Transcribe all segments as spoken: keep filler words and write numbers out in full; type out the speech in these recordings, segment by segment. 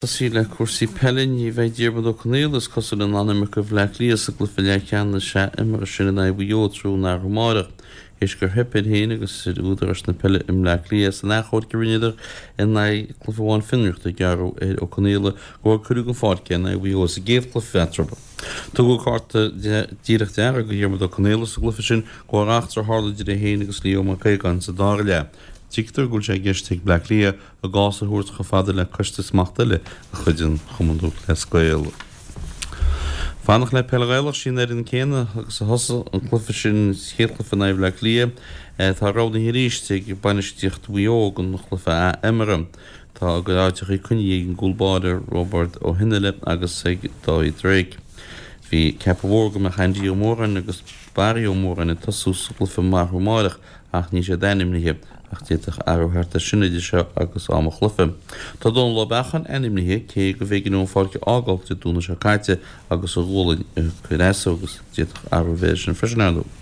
Tosaí le cúrsaí peile, ní bheidh Diarmuid Ó Conaola, is cosúil, in ann imirt do Bhleá Cliath sa gcluiche leathcheannais athimeartha sin in aghaidh Mhaigh Eo tráthnóna amárach, théis gur theip air féin agus ar údaráis na peile i mBleá Cliath san achomharc a rinneadar in aghaidh cluiche amháin fionraíochta a gearradh ar Ó Conaola de bharr cuireadh den pháirc é in aghaidh Mhaigh Eo sa gcéad chluiche eatarthu. Tugadh cárta díreach dearg do Dhiarmuid Ó Conaola sa gcluiche sin de bharr eachtra a tharla idir é féin agus Leo Mac Aogáin sa dara leath. Tuigtear go bhfuil sé i gceist ag Bleá Cliath a gcás a thabhairt chomh fada le coiste smachta eile de chuid an Chumann Lúthchleas Gael. Fanacht le peil Ghaelach, sí an fhoireann céanna agus a thosaigh an cluiche sin, chéad chluiche in aghaidh Bhleá Cliath, atá roghnaithe arís ag bainistíocht Mhaigh Eo don chluiche athimeartha. Tá a gcuid áiteachaí coinnithe ag an gcúl báire Roibeard Ó hIonfhaile agus ag Dáithí Drake. Bhí ceapadh mhór go mbeadh Andy Ó Móráin agus Barry Ó Móráin ag tosú sa gcluiche amárach ach níl siad ainmnithe, ach d'fhéadfadh athrú theacht air sin idir seo agus am an chluiche. Tá Dónal Ó Beacháin ainmnithe, cé gurbh éigean dó an pháirc a fhágáil Dé Domhnaigh seo caite agus a ghualainn ag cur as dó agus d'fhéadfadh athrú a bheith air sin freisin, ar ndóigh.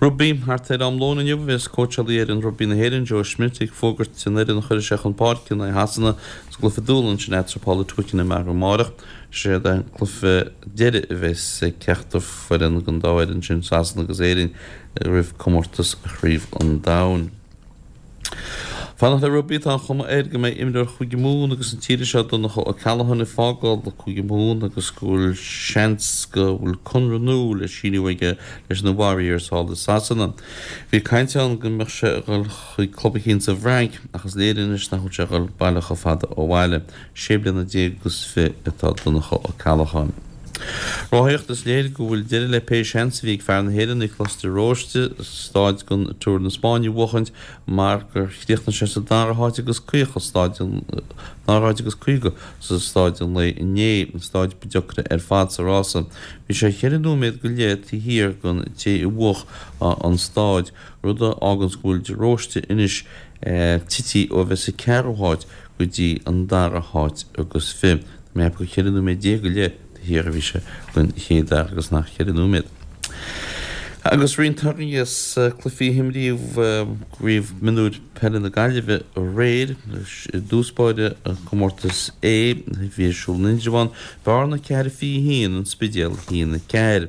Rugbaí, Thart ar am lóin inniu a bheas cóitseálaí fhoireann rugbaí na hÉireann, Joe Schmidt, ag fógairt an fhoireann a chuirfidh sé chun páirce in aghaidh Shasana sa gcluiche dúshláin sin eatarthu thall i Twickenham arú amárach. Sé an cluiche deiridh a bheas ag ceachtar foireann den dá fhoireann sin, Sasana agus Éirinn, roimh comórtas Chraobh an Domhain. Fanacht le rugbaí, tá an chuma air go mbeidh imreoir Chúige Mumhan agus na tíre seo, Donncha O'Callaghan, ag fágáil Cúige Mumhan agus go bhfuil seans go bhfuil conradh nua le síniú aige leis na Warriors thall i Sasana. Bhí caint ann go mbeadh sé ag dul chuig club eicínt sa bhFrainc ach is léir anois nach bhfuil sé ag dul baile chomh fada ó bhaile. Sé bliana déag agus fiche atá Donncha O'Callaghan. Rothaíocht, Is léir go bhfuil deireadh le pé seans a bhí ag fear na hÉireann, Nioclás de Róiste, staid den Tour na Spáinne a bhuachaint mar gur chríochnaigh sé sa dara háit agus caoga staid an dara háit agus caoga sa staid an lae inné, an staid ba deacra ar fad sa rása. Bhí sé cheithre nóiméad go leith taobh thiar den té a bhuach an staid, rud a fháganns go bhfuil de Róiste anois tití ó bheith sa ceathrú háit go dtí an dara háit agus fiche. Tá mé ag ceapadh gur cheithre nóiméad déag go leith taobh thiar a bhí sé den chéad fhear agus nach ceithre nóiméad. Agus roinnt torthaí as cluichí a himríodh i gCraobh Mionúir Peile na Gaillimhe aréir. I dtús báire i gcomórtas A a bhí ar siúl in Indreabhán, Bearna ceathair fiche a haon, An Spidéal a haon a ceathair.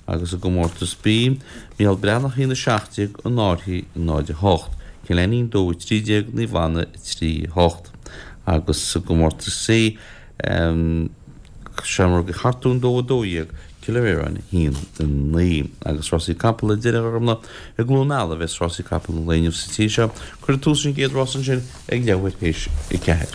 Agus i gcomórtas B, Micheál Breathnach a haon a seacht déag, An Fhairche náid a hocht, Cill Ainnín dó a trí déag, Naomh Anna a trí a hocht. Agus i gcomórtas C, Seamróga Chartúin dó a dó dhéag, Cill Ramhráin a haon a naoi. Agus rásaí capall ar deireadh a Ghormfhlaith, i gCluain Meala a bheas rásaí capall an lae inniu sa tír seo. Cuirfear tús leis an gcéad rás ansin ag leathuair théis a ceathair.